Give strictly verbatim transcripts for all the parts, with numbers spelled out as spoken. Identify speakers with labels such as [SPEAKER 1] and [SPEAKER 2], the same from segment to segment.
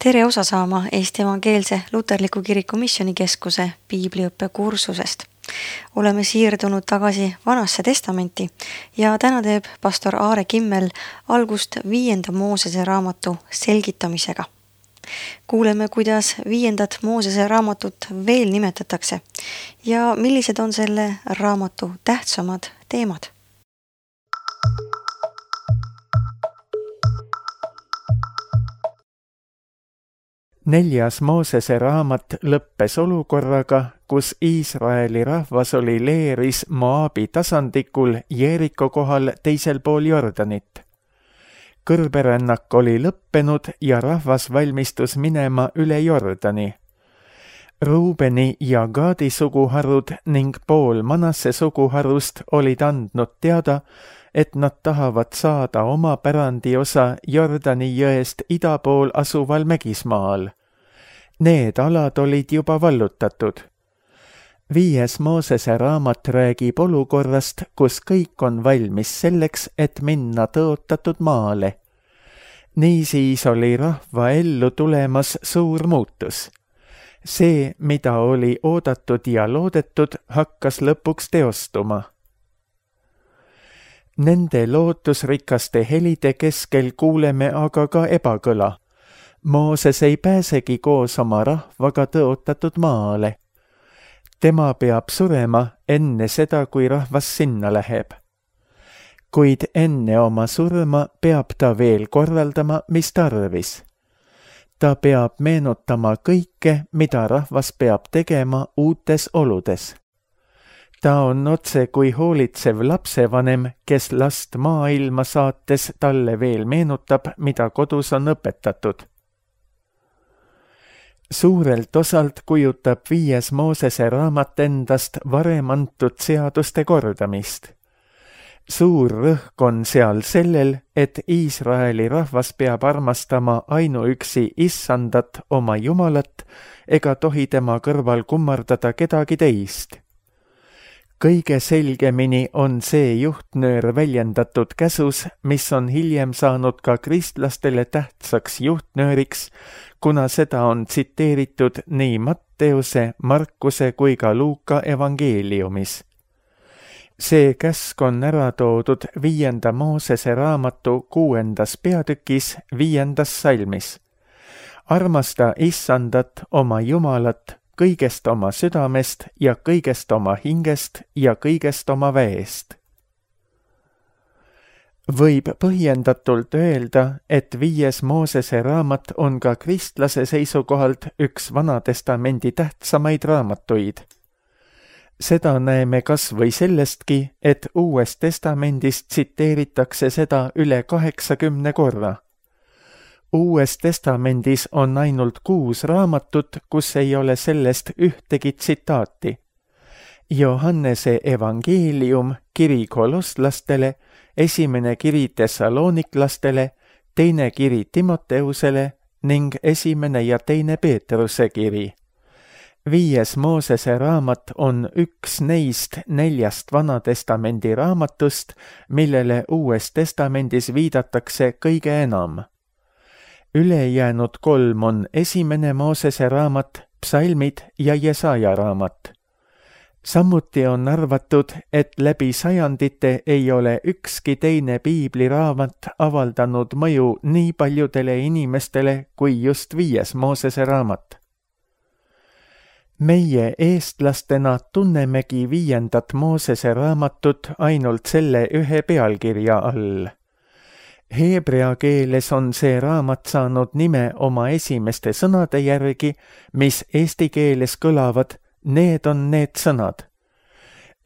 [SPEAKER 1] Tere osa saama Eesti Evangeelse Luterliku Kiriku Missioonikeskuse piibliõppe kursusest. Oleme siirdunud tagasi Vanasse Testamenti ja täna teeb pastor Aare Kimmel algust viienda Moosese raamatu selgitamisega. Kuuleme, kuidas viiendat Moosese raamatut veel nimetatakse ja millised on selle raamatu tähtsamad teemad.
[SPEAKER 2] Neljas Moosese raamat lõppes olukorraga, kus Iisraeli rahvas oli leeris Moabi tasandikul Jeeriko kohal teisel pool Jordanit. Kõrberännak oli lõppenud ja rahvas valmistus minema üle Jordani. Ruubeni ja Gaadi suguharud ning pool Manasse suguharust olid andnud teada, et nad tahavad saada oma pärandiosa Jordani jõest ida pool asuval Mägismaal. Need alad olid juba vallutatud. Viies Moosese raamat räägib olukorrast, kus kõik on valmis selleks, et minna tõotatud maale. Niisiis oli rahva ellu tulemas suur muutus. See, mida oli oodatud ja loodetud, hakkas lõpuks teostuma. Nende lootusrikaste helide keskel kuuleme aga ka ebakõla. Mooses ei pääsegi koos oma rahvaga tõotatud maale. Tema peab surema enne seda, kui rahvas sinna läheb. Kuid enne oma surma peab ta veel korraldama, mis tarvis. Ta peab meenutama kõike, mida rahvas peab tegema uutes oludes. Ta on otse kui hoolitsev lapsevanem, kes last maailma saates talle veel meenutab, mida kodus on õpetatud. Suurelt osalt kujutab viies Moosese raamat endast varem antud seaduste kordamist. Suur rõhk on seal sellel, et Iisraeli rahvas peab armastama ainuüksi Issandat oma Jumalat ega tohi tema kõrval kummardada kedagi teist. Kõige selgemini on see juhtnöör väljendatud käsus, mis on hiljem saanud ka kristlastele tähtsaks juhtnööriks, kuna seda on tsiteeritud nii Matteuse, Markuse kui ka Luuka evangeeliumis. See käsk on ära toodud viienda Moosese raamatu kuuendas peatükis viiendas salmis. Armasta Issandat oma Jumalat kõigest oma südamest ja kõigest oma hingest ja kõigest oma väest. Võib põhjendatult öelda, et viies Moosese raamat on ka kristlase seisukohalt üks Vanatestamendi tähtsamaid raamatuid. Seda näeme kas või sellestki, et Uues Testamendis tsiteeritakse seda üle kaheksakümne korra. Uues Testamendis on ainult kuus raamatut, kus ei ole sellest ühtegi tsitaati. Johannese evangeelium, kiri kolosslastele, esimene kiri Thessaloniklastele, teine kiri Timoteusele ning esimene ja teine Peetruse kiri. Viies Moosese raamat on üks neist neljast Vanatestamendi raamatust, millele Uues Testamendis viidatakse kõige enam. Ülejäänud kolm on esimene Moosese raamat, psalmid ja Jesaja raamat. Samuti on arvatud, et läbi sajandite ei ole ükski teine piibliraamat avaldanud mõju nii paljudele inimestele kui just viies Moosese raamat. Meie eestlastena tunnemegi viiendat Moosese raamatut ainult selle ühe pealkirja all. Heebrea keeles on see raamat saanud nime oma esimeste sõnade järgi, mis eesti keeles kõlavad, need on need sõnad.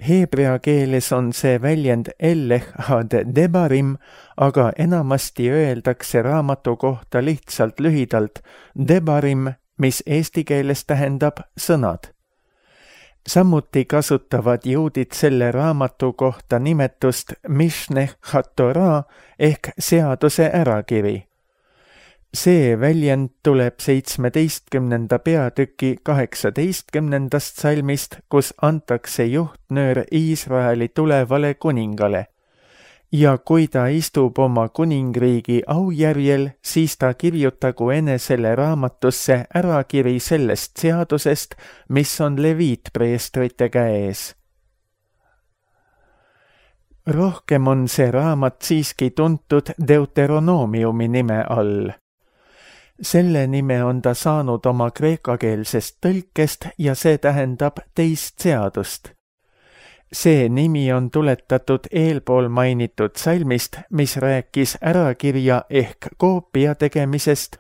[SPEAKER 2] Heebrea keeles on see väljend Elleh had debarim, aga enamasti öeldakse raamatu kohta lihtsalt lühidalt debarim, mis eesti keeles tähendab sõnad. Samuti kasutavad juudid selle raamatu kohta nimetust Mishneh HaTorah ehk seaduse ärakiri. See väljend tuleb seitsmeteistkümnenda peatüki kaheksateistkümnendast salmist, kus antakse juhtnöör Iisraeli tulevale kuningale. ja kui ta istub oma kuningriigi aujärjel, siis ta kirjutagu enesele raamatusse ärakiri sellest seadusest, mis on leviitpreestrite käes. Rohkem on see raamat siiski tuntud Deuteronoomiumi nime all. Selle nime on ta saanud oma kreekakeelsest tõlkest ja see tähendab teist seadust. See nimi on tuletatud eelpool mainitud salmist, mis rääkis ärakirja ehk koopia tegemisest,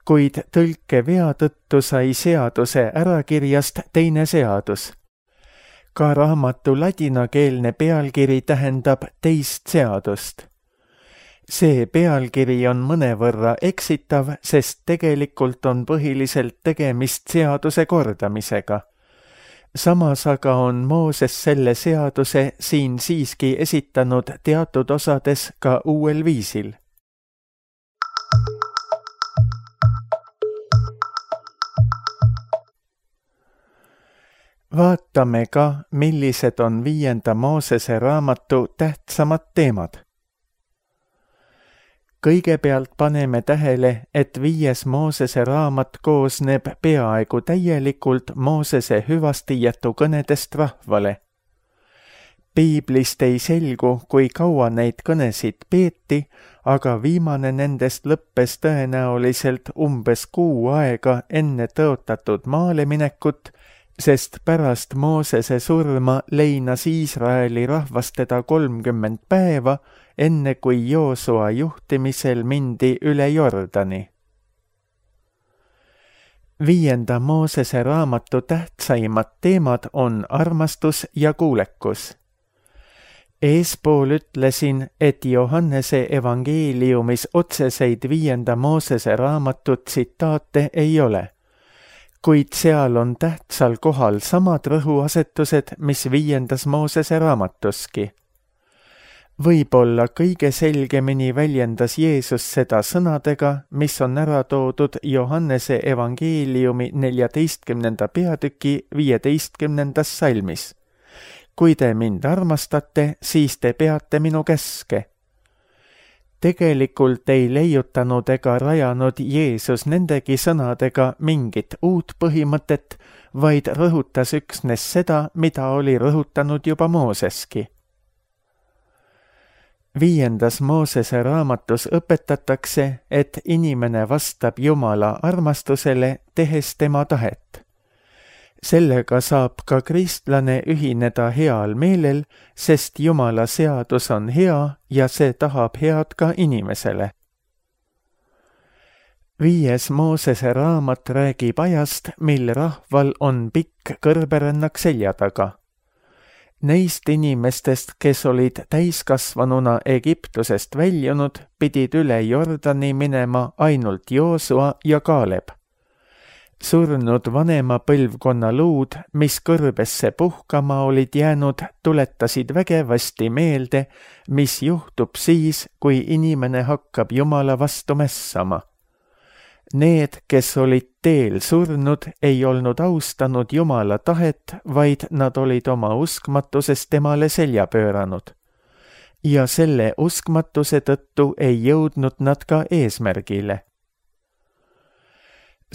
[SPEAKER 2] kuid tõlkevea tõttu sai seaduse ärakirjast teine seadus. Ka raamatu ladinakeelne pealkiri tähendab teist seadust. See pealkiri on mõnevõrra eksitav, sest tegelikult on põhiliselt tegemist seaduse kordamisega. Samas aga on Mooses selle seaduse siin siiski esitanud teatud osades ka uuel viisil. Vaatame ka, millised on viienda Moosese raamatu tähtsamad teemad. Kõigepealt paneme tähele, et viies Moosese raamat koosneb peaaegu täielikult Moosese hüvastijätu kõnedest rahvale. Piiblist ei selgu, kui kaua neid kõnesid peeti, aga viimane nendest lõppes tõenäoliselt umbes kuu aega enne tõotatud maale minekut, sest pärast Moosese surma leinas Iisraeli rahvas teda kolmkümmend päeva, enne kui Joosua juhtimisel mindi üle Jordani. Viienda Moosese raamatu tähtsaimad teemad on armastus ja kuulekus. Eespool ütlesin, et Johannese evangeeliumis otseseid viienda Moosese raamatu tsitaate ei ole, kuid seal on tähtsal kohal samad rõhuasetused, mis viiendas Moosese raamatuski. Võib-olla kõige selgemini väljendas Jeesus seda sõnadega, mis on ära toodud Johannese evangeeliumi neljateistkümnenda peatüki viieteistkümnendas salmis. Kui te mind armastate, siis te peate minu käske. Tegelikult ei leiutanud ega rajanud Jeesus nendegi sõnadega mingit uut põhimõtet, vaid rõhutas üksnes seda, mida oli rõhutanud juba Mooseski. Viiendas Moosese raamatus õpetatakse, et inimene vastab Jumala armastusele, tehes tema tahet. Sellega saab ka kristlane ühineda heal meelel, sest Jumala seadus on hea ja see tahab head ka inimesele. Viies Moosese raamat räägib ajast, mil rahval on pikk kõrberännak selja taga. Neist inimestest, kes olid täiskasvanuna Egiptusest väljunud, pidid üle Jordani minema ainult Joosua ja Kaaleb. Surnud vanema põlvkonna luud, mis kõrbesse puhkama olid jäänud, tuletasid vägevasti meelde, mis juhtub siis, kui inimene hakkab Jumala vastu mässama. Need, kes olid teel surnud, ei olnud austanud Jumala tahet, vaid nad olid oma uskmatusest temale selja pööranud. Ja selle uskmatuse tõttu ei jõudnud nad ka eesmärgile.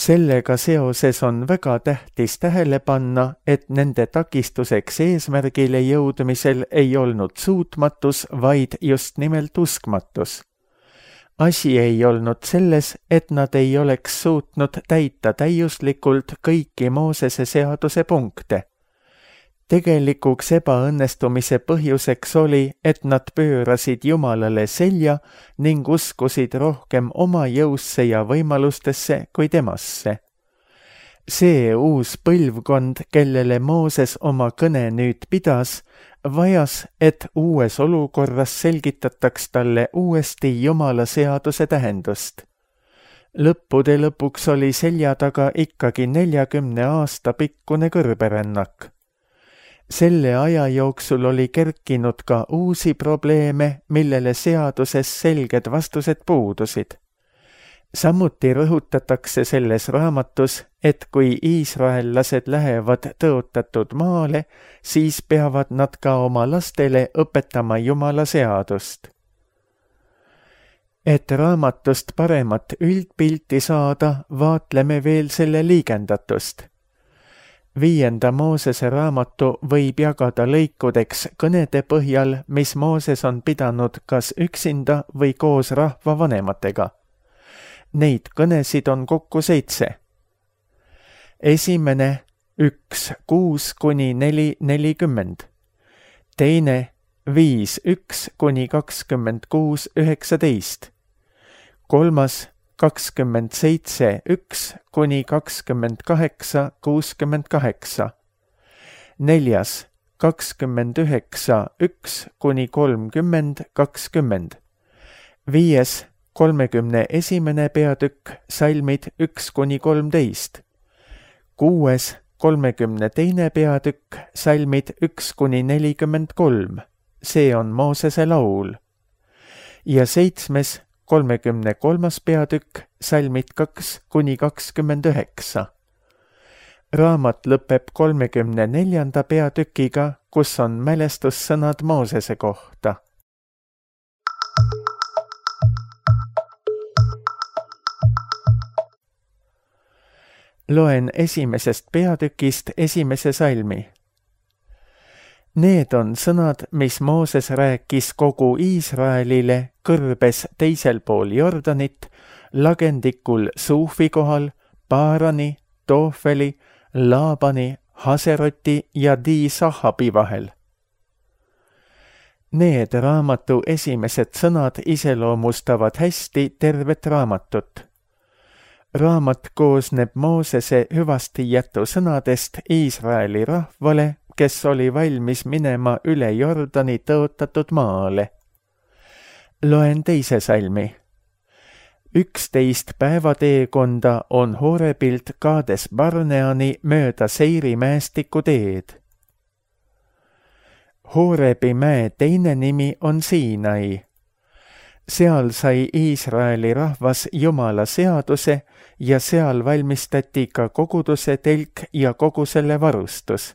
[SPEAKER 2] Sellega seoses on väga tähtis tähele panna, et nende takistuseks eesmärgile jõudmisel ei olnud suutmatus, vaid just nimelt uskmatus. Asi ei olnud selles, et nad ei oleks suutnud täita täiuslikult kõiki Moosese seaduse punkte. Tegelikuks ebaõnnestumise põhjuseks oli, et nad pöörasid Jumalale selja ning uskusid rohkem oma jõusse ja võimalustesse kui temasse. See uus põlvkond, kellele Mooses oma kõne nüüd pidas, vajas, et uues olukorras selgitataks talle uuesti Jumala seaduse tähendust. Lõppude lõpuks oli selja taga ikkagi neljakümne aasta pikkune kõrberännak. Selle aja jooksul oli kerkinud ka uusi probleeme, millele seaduses selged vastused puudusid. Samuti rõhutatakse selles raamatus, et kui iisraellased lähevad tõotatud maale, siis peavad nad ka oma lastele õpetama Jumala seadust. Et raamatust paremat üldpilti saada, vaatleme veel selle liigendatust. Viienda Moosese raamatu võib jagada lõikudeks kõnede põhjal, mis Mooses on pidanud kas üksinda või koos rahva vanematega. Neid kõnesid on kokku seitse. Esimene üks kuus kuni neli nelikümmend. Teine viis üks kuni kakskümmend kuus üheksateist. Kolmas kakskümmend seitse üks kuni kakskümmend kaheksa kuuskümmend kaheksa. Neljas kakskümmend üheksa üks kuni kolmkümmend kakskümmend. Viies kolmekümne esimene peatükk, salmid üks kuni kolmteist. Kuues kolmekümne teine peatükk, salmid üks kuni nelikümmend kolm. See on Moosese laul. Ja seitsmes kolmekümne kolmas peatükk, salmid kaks kuni kakskümmend üheksa. Raamat lõpeb kolmekümne neljanda peatükiga, kus on mälestussõnad Moosese kohta. Loen esimesest peatükist esimese salmi. Need on sõnad, mis Mooses rääkis kogu Iisraelile kõrbes teisel pool Jordanit, lagendikul Suufi kohal, Paarani, Toofeli, Laabani, Haseroti ja Di-Sahabi vahel. Need raamatu esimesed sõnad iseloomustavad hästi tervet raamatut. Raamat koosneb Moosese hüvastijätu sõnadest Iisraeli rahvale, kes oli valmis minema üle Jordani tõotatud maale. Loen teise salmi. Üksteist päevateekonda on Horebilt Kaades Barneani mööda Seiri mäestiku teed. Horebi mäe teine nimi on Siinai. Seal sai Iisraeli rahvas Jumala seaduse ja seal valmistati ka koguduse telk ja kogu selle varustus.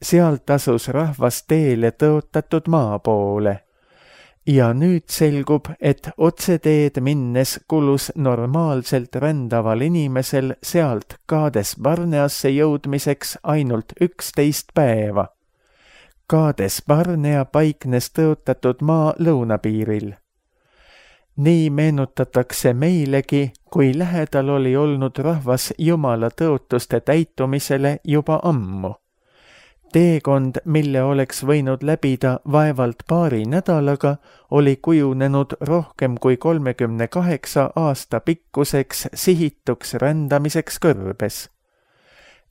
[SPEAKER 2] Sealt asus rahvas teele tõotatud maa poole. Ja nüüd selgub, et otseteed minnes kulus normaalselt rändaval inimesel sealt Kaades Barneasse jõudmiseks ainult üksteist päeva. Kaades Barnea paiknes tõotatud maa lõunapiiril. Nii meenutatakse meilegi, kui lähedal oli olnud rahvas Jumala tõotuste täitumisele juba ammu. Teekond, mille oleks võinud läbida vaevalt paari nädalaga, oli kujunenud rohkem kui kolmekümne kaheksa aasta pikkuseks sihituks rändamiseks kõrbes.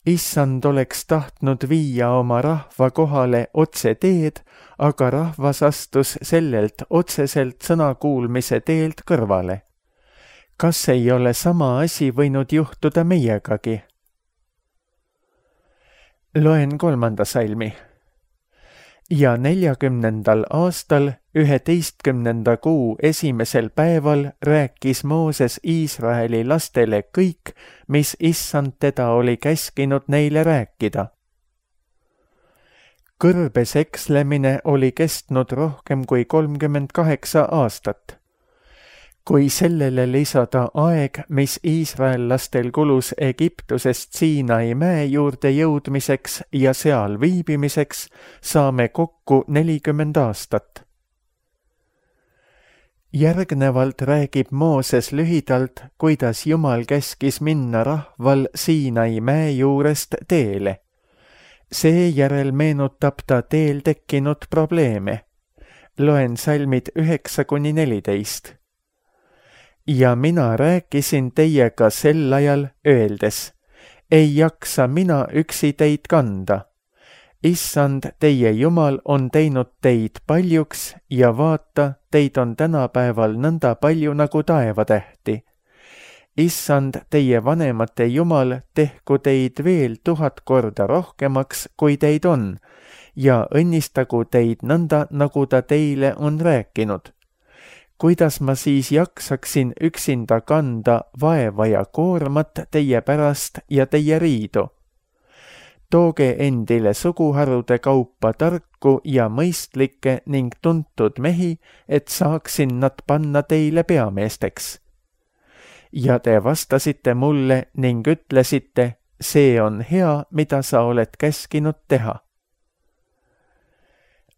[SPEAKER 2] Issand oleks tahtnud viia oma rahva kohale otse teed, aga rahvas astus sellelt otseselt sõnakuulmise teelt kõrvale. Kas ei ole sama asi võinud juhtuda meiegagi? Loen kolmanda salmi. Ja neljakümnendal aastal, üheteistkümnenda kuu esimesel päeval rääkis Mooses Iisraeli lastele kõik, mis Issand teda oli käskinud neile rääkida. Kõrbes ekslemine oli kestnud rohkem kui kolmkümmend kaheksa aastat. Kui sellele lisada aeg, mis iisraellastel kulus Egiptusest Siinai mäe juurde jõudmiseks ja seal viibimiseks, saame kokku nelikümmend aastat. Järgnevalt räägib Mooses lühidalt, kuidas Jumal käskis minna rahval Siinai mäe juurest teele. Seejärel meenutab ta teel tekkinud probleeme. Loen salmid üheksa kuni neliteist. Ja mina rääkisin teiega sel ajal öeldes, ei jaksa mina üksi teid kanda. Issand, teie Jumal on teinud teid paljuks ja vaata, teid on tänapäeval nõnda palju nagu taevatähti. Issand, teie vanemate Jumal, tehku teid veel tuhat korda rohkemaks, kui teid on, ja õnnistagu teid nõnda, nagu ta teile on rääkinud. Kuidas ma siis jaksaksin üksinda kanda vaeva ja koormat teie pärast ja teie riidu? tooge endile suguharude kaupa tarku ja mõistlikke ning tuntud mehi, et saaksin nad panna teile peameesteks. Ja te vastasite mulle ning ütlesite, see on hea, mida sa oled käskinud teha.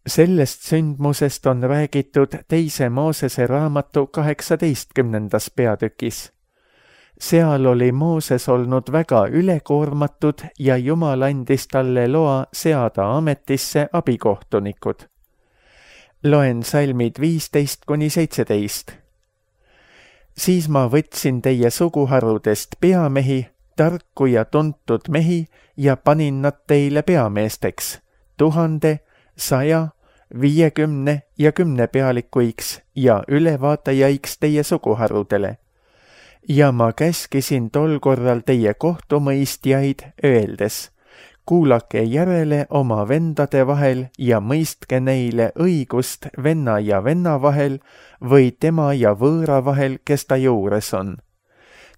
[SPEAKER 2] Sellest sündmusest on räägitud teise Moosese raamatu kaheksateistkümnendas peatükis. Seal oli Mooses olnud väga ülekoormatud ja Jumal andis talle loa seada ametisse abikohtunikud. Loen salmid viisteist kuni seitseteist. Siis ma võtsin teie suguharudest peamehi, tarku ja tuntud mehi ja panin nad teile peameesteks, tuhande, saja, viiekümne ja kümne pealikuiks ja ülevaatajaiks teie suguharudele. Ja ma käskisin tol korral teie kohtumõistjaid öeldes, kuulake järele oma vendade vahel ja mõistke neile õigust venna ja venna vahel või tema ja võõra vahel, kes ta juures on.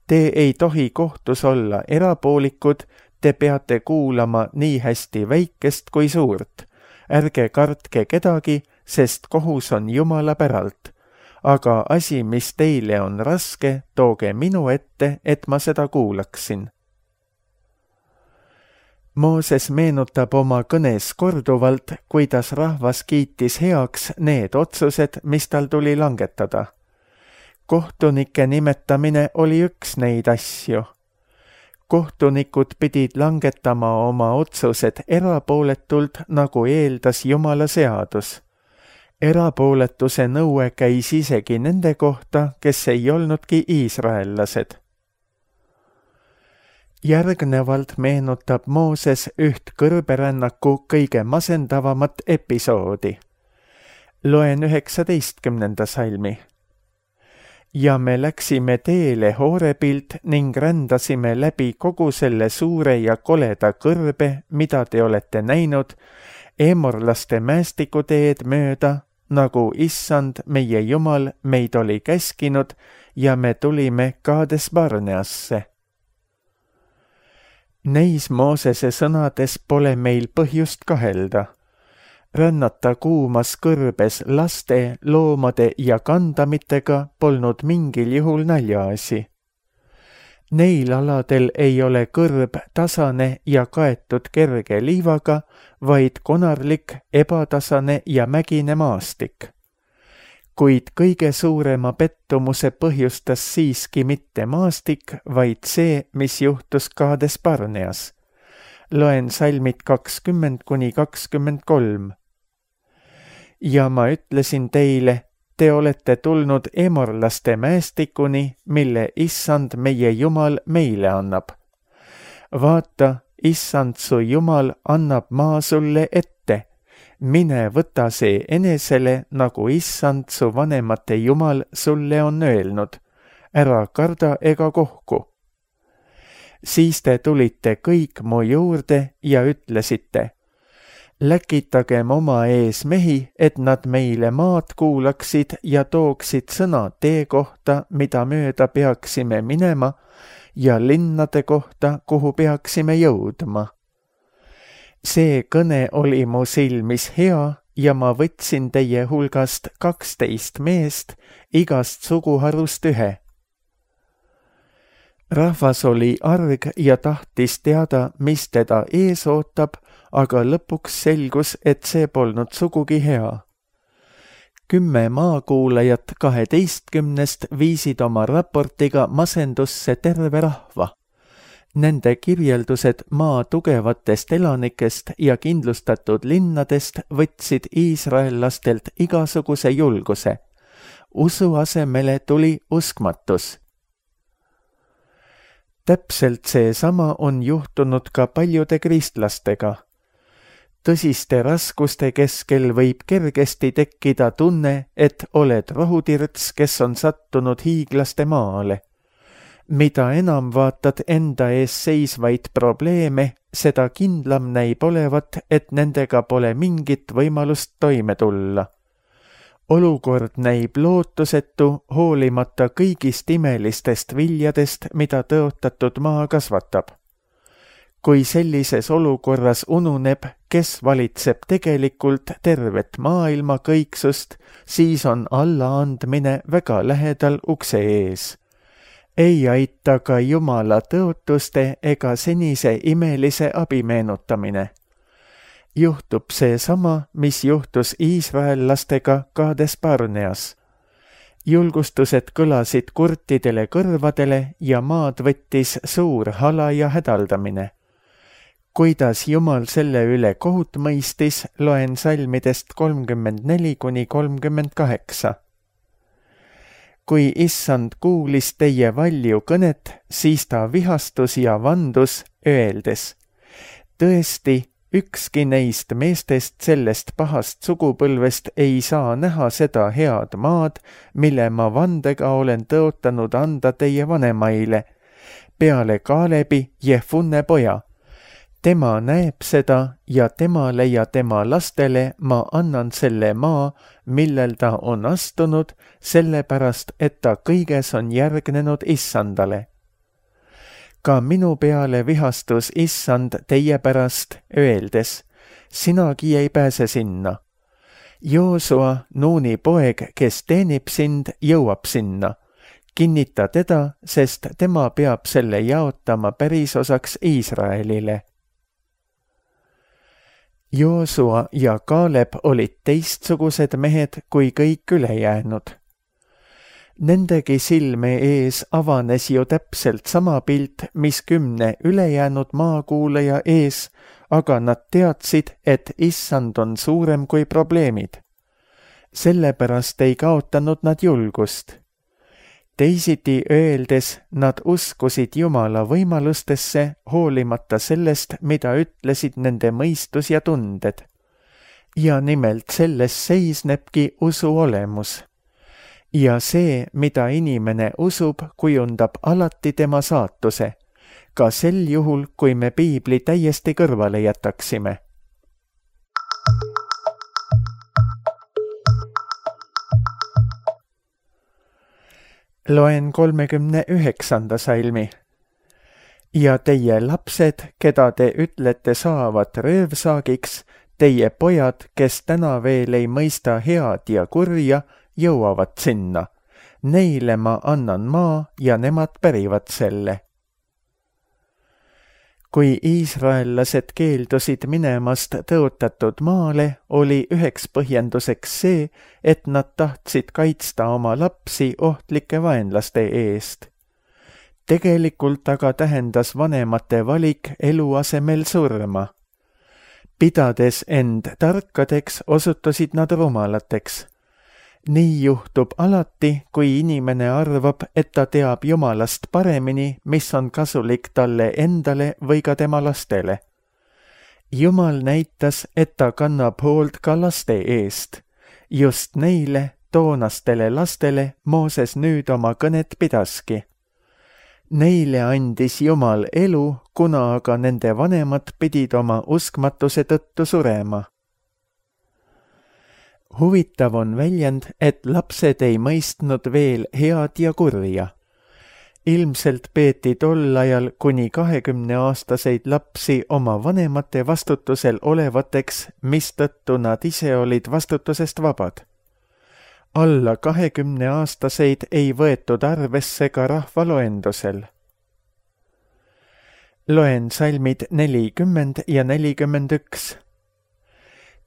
[SPEAKER 2] Te ei tohi kohtus olla erapoolikud, te peate kuulama nii hästi väikest kui suurt. Ärge kartke kedagi, sest kohus on Jumala päralt. Aga asi, mis teile on raske, tooge minu ette, et ma seda kuulaksin. Mooses meenutab oma kõnes korduvalt, kuidas rahvas kiitis heaks need otsused, mis tal tuli langetada. Kohtunike nimetamine oli üks neid asju. Kohtunikud pidid langetama oma otsused erapooletult, nagu eeldas Jumala seadus. Erapooletuse nõue käis isegi nende kohta, kes ei olnudki iisraellased. Järgnevalt meenutab Mooses üht kõrberännaku kõige masendavamat episoodi. Loen üheksateistkümnenda salmi. Ja me läksime teele Horebilt ning rändasime läbi kogu selle suure ja koleda kõrbe, mida te olete näinud, eemorlaste mäestikuteed mööda, nagu issand meie Jumal meid oli käskinud ja me tulime Kaades Barneasse. Neis Moosese sõnades pole meil põhjust kahelda. Rännata kuumas kõrbes laste, loomade ja kandamitega polnud mingil juhul naljaasi. Neil aladel ei ole kõrb tasane ja kaetud kerge liivaga, vaid konarlik, ebatasane ja mägine maastik. Kuid kõige suurema pettumuse põhjustas siiski mitte maastik, vaid see, mis juhtus Kaades Barneas. Loen salmid kakskümmend kuni kakskümmend kolm. Ja ma ütlesin teile, te olete tulnud emorlaste mäestikuni, mille issand meie Jumal meile annab. Vaata, issand su Jumal annab maa sulle ette. Mine võta see enesele, nagu issand su vanemate Jumal sulle on öelnud. Ära karda ega kohku. Siis te tulite kõik mu juurde ja ütlesite, läkitagem oma ees mehi, et nad meile maad kuulaksid ja tooksid sõna tee kohta, mida mööda peaksime minema, ja linnade kohta, kuhu peaksime jõudma. See kõne oli mu silmis hea ja ma võtsin teie hulgast kaksteist meest, igast suguharust ühe. Rahvas oli arg ja tahtis teada, mis teda ees ootab, aga lõpuks selgus, et see polnud sugugi hea. Kümme maakuulajat kaheteistkümnest viisid oma raportiga masendusse terve rahva. Nende kirjeldused maa tugevatest elanikest ja kindlustatud linnadest võtsid iisraellastelt igasuguse julguse. Usu asemele tuli uskmatus. Täpselt seesama on juhtunud ka paljude kristlastega. Tõsiste raskuste keskel võib kergesti tekkida tunne, et oled rohutirts, kes on sattunud hiiglaste maale. Mida enam vaatad enda ees seisvaid probleeme, seda kindlam näib olevat, et nendega pole mingit võimalust toime tulla. Olukord näib lootusetu, hoolimata kõigist imelistest viljadest, mida tõotatud maa kasvatab. kui sellises olukorras ununeb, kes valitseb tegelikult tervet maailma kõiksust, siis on allaandmine väga lähedal ukse ees. Ei aita ka Jumala tõotuste ega senise imelise abi meenutamine. Juhtub seesama, mis juhtus iisraellastega Kaades Barneas. Julgustused kõlasid kurtidele kõrvadele ja maad võttis suur hala ja hädaldamine. Kuidas Jumal selle üle kohut mõistis, loen salmidest kolmkümmend neli kuni kolmkümmend kaheksa. Kui issand kuulis teie valju kõnet, siis ta vihastus ja vandus, öeldes: tõesti, ükski neist meestest sellest pahast sugupõlvest ei saa näha seda head maad, mille ma vandega olen tõotanud anda teie vanemaile, peale Kaalebi, Jefunne poja. Tema näeb seda ja temale ja tema lastele ma annan selle maa, millel ta on astunud, sellepärast, et ta kõiges on järgnenud issandale. Ka minu peale vihastus issand teie pärast, öeldes: sinagi ei pääse sinna. Joosua, Nuuni poeg, kes teenib sind, jõuab sinna. Kinnita teda, sest tema peab selle jaotama pärisosaks Iisraelile. Joosua ja Kaaleb olid teistsugused mehed kui kõik ülejäänud. Nendegi silme ees avanes ju täpselt sama pilt, mis kümne ülejäänud maakuulaja ees, aga nad teadsid, et issand on suurem kui probleemid. Sellepärast ei kaotanud nad julgust. Teisiti öeldes, nad uskusid Jumala võimalustesse, hoolimata sellest, mida ütlesid nende mõistus ja tunded. Ja nimelt selles seisnebki usu olemus. Ja see, mida inimene usub, kujundab alati tema saatuse, ka sel juhul, kui me piibli täiesti kõrvale jätaksime. Loen kolmekümne üheksanda salmi. Ja teie lapsed, keda te ütlete saavat röövsaagiks, teie pojad, kes täna veel ei mõista head ja kurja, jõuavad sinna. Neile ma annan maa ja nemad pärivad selle. Kui iisraellased keeldusid minemast tõotatud maale, oli üheks põhjenduseks see, et nad tahtsid kaitsta oma lapsi ohtlike vaenlaste eest. Tegelikult aga tähendas vanemate valik elu asemel surma. Pidades end tarkadeks, osutusid nad rumalateks. Nii juhtub alati, kui inimene arvab, et ta teab Jumalast paremini, mis on kasulik talle endale või ka tema lastele. Jumal näitas, et ta kannab hoolt ka laste eest. Just neile, toonastele lastele, Mooses nüüd oma kõnet pidaski. Neile andis Jumal elu, kuna aga nende vanemad pidid oma uskmatuse tõttu surema. Huvitav on väljend, et lapsed ei mõistnud veel head ja kurja. Ilmselt peeti tol ajal kuni kahekümneaastaseid lapsi oma vanemate vastutusel olevateks, mistõttu nad ise olid vastutusest vabad. Alla kahekümneaastaseid ei võetud arvesse ka rahvaloendusel. Loen salmid nelikümmend ja nelikümmend üks.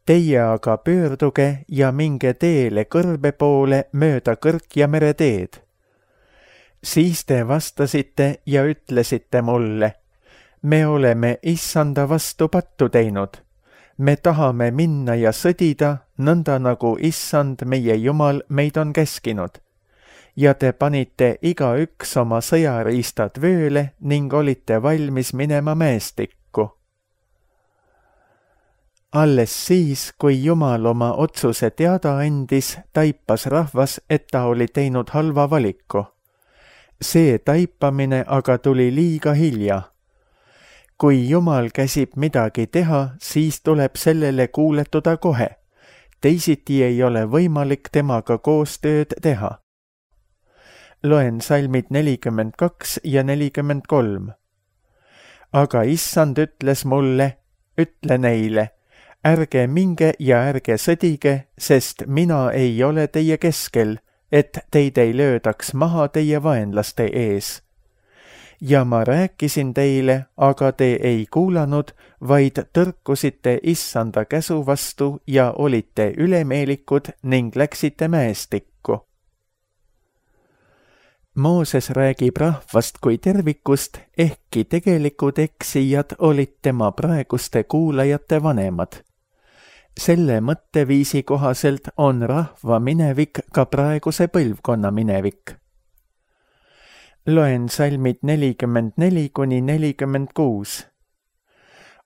[SPEAKER 2] Teie aga pöörduge ja minge teele kõrbe poole mööda kõrk- ja mereteed. Siis te vastasite ja ütlesite mulle: me oleme issanda vastu pattu teinud. Me tahame minna ja sõdida, nõnda nagu issand meie Jumal meid on käskinud. Ja te panite igaüks oma sõjariistad vööle ning olite valmis minema mäestikku. Alles siis, kui Jumal oma otsuse teada andis, taipas rahvas, et ta oli teinud halva valiku. See taipamine aga tuli liiga hilja. Kui Jumal käsib midagi teha, siis tuleb sellele kuuletuda kohe. Teisiti ei ole võimalik temaga koostööd teha. Loen salmid nelikümmend kaks ja nelikümmend kolm. aga issand ütles mulle, ütle neile, ärge minge ja ärge sõdige, sest mina ei ole teie keskel, et teid ei löödaks maha teie vaenlaste ees. Ja ma rääkisin teile, aga te ei kuulanud, vaid tõrkusite issanda käsu vastu ja olite ülemeelikud ning läksite mäestikku. Mooses räägib rahvast kui tervikust, ehkki tegelikud eksijad olid tema praeguste kuulajate vanemad. Selle mõtteviisi kohaselt on rahva minevik ka praeguse põlvkonna minevik. Loen salmid nelikümmend neli kuni nelikümmend kuus.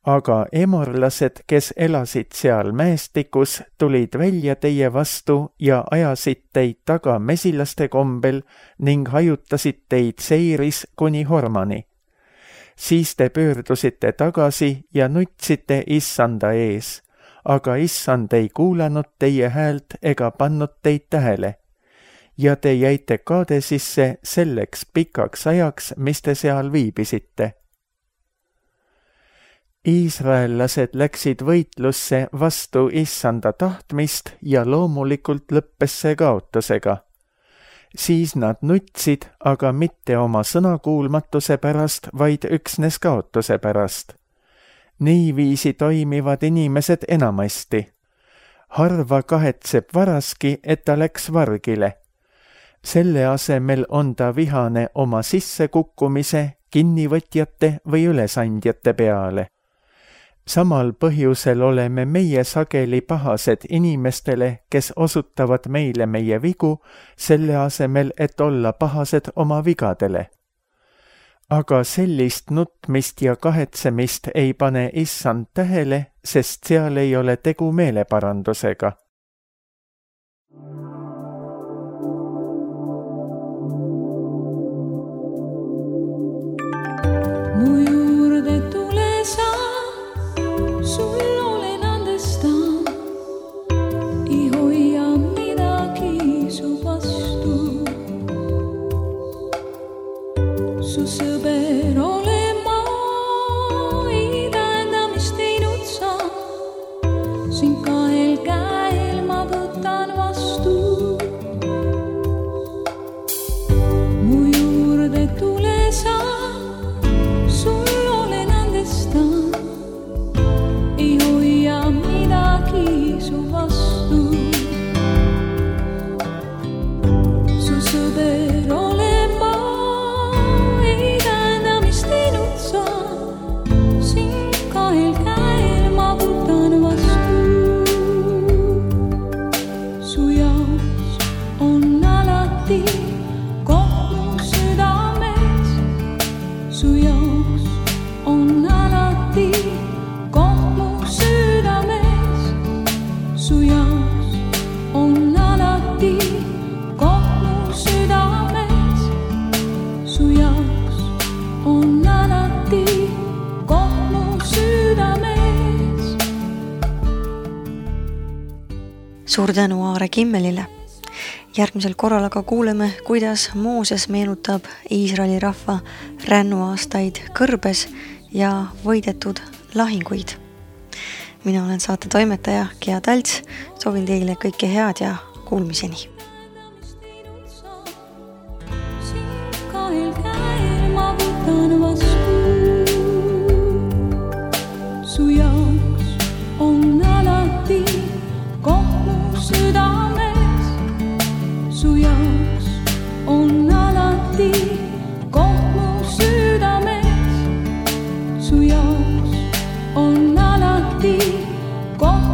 [SPEAKER 2] Aga emorlased, kes elasid seal mäestikus, tulid välja teie vastu ja ajasid teid taga mesilaste kombel ning hajutasid teid seiris kuni Hormani. Siis te pöördusite tagasi ja nutsite issanda ees, aga issand ei kuulanud teie häält ega pannud teid tähele. Ja te jäite Kaadesisse selleks pikaks ajaks, mis te seal viibisite. Iisraellased läksid võitlusse vastu issanda tahtmist ja loomulikult lõppes see kaotusega. Siis nad nutsid, aga mitte oma sõnakuulmatuse pärast, vaid üksnes kaotuse pärast. Niiviisi toimivad inimesed enamasti. Harva kahetseb varaski, et ta läks vargile. Selle asemel on ta vihane oma sissekukkumise, kinnivõtjate või ülesandjate peale. Samal põhjusel oleme meie sageli pahased inimestele, kes osutavad meile meie vigu, selle asemel, et olla pahased oma vigadele. Aga sellist nutmist ja kahetsemist ei pane issand tähele, sest seal ei ole tegu meeleparandusega.
[SPEAKER 3] Mu juurde tule sa, sul olen andestan, ei hoia midagi su vastu. Su sõber olen ma, ei tähenda, mis teinud sa, sind kahel käel ma võtan vastu. Mu juurde tule sa, sul olen andestan, ei hoia midagi su vastu. Su sõber olen ma, ei tähenda, mis teinud sa, sind kahel käel ma võtan vastu. Su jaoks on alati koht mu südames, su jaoks on alati koht mu südames, su jaoks on alati koht mu südames, su jaoks on alati koht mu südames.
[SPEAKER 1] Suur tänu Aare Kimmelile. Järgmisel korral aga kuuleme, kuidas Mooses meenutab Iisraeli rahva rännuaastaid kõrbes ja võidetud lahinguid. Mina olen saate toimetaja Gea Talts, soovin teile kõike head ja kuulmiseni.
[SPEAKER 3] Sind kahel käel ma võtan vastu. Su jaoks on alati koht mu südames, su jaoks on alati koht mu südames, su jaoks on alati koht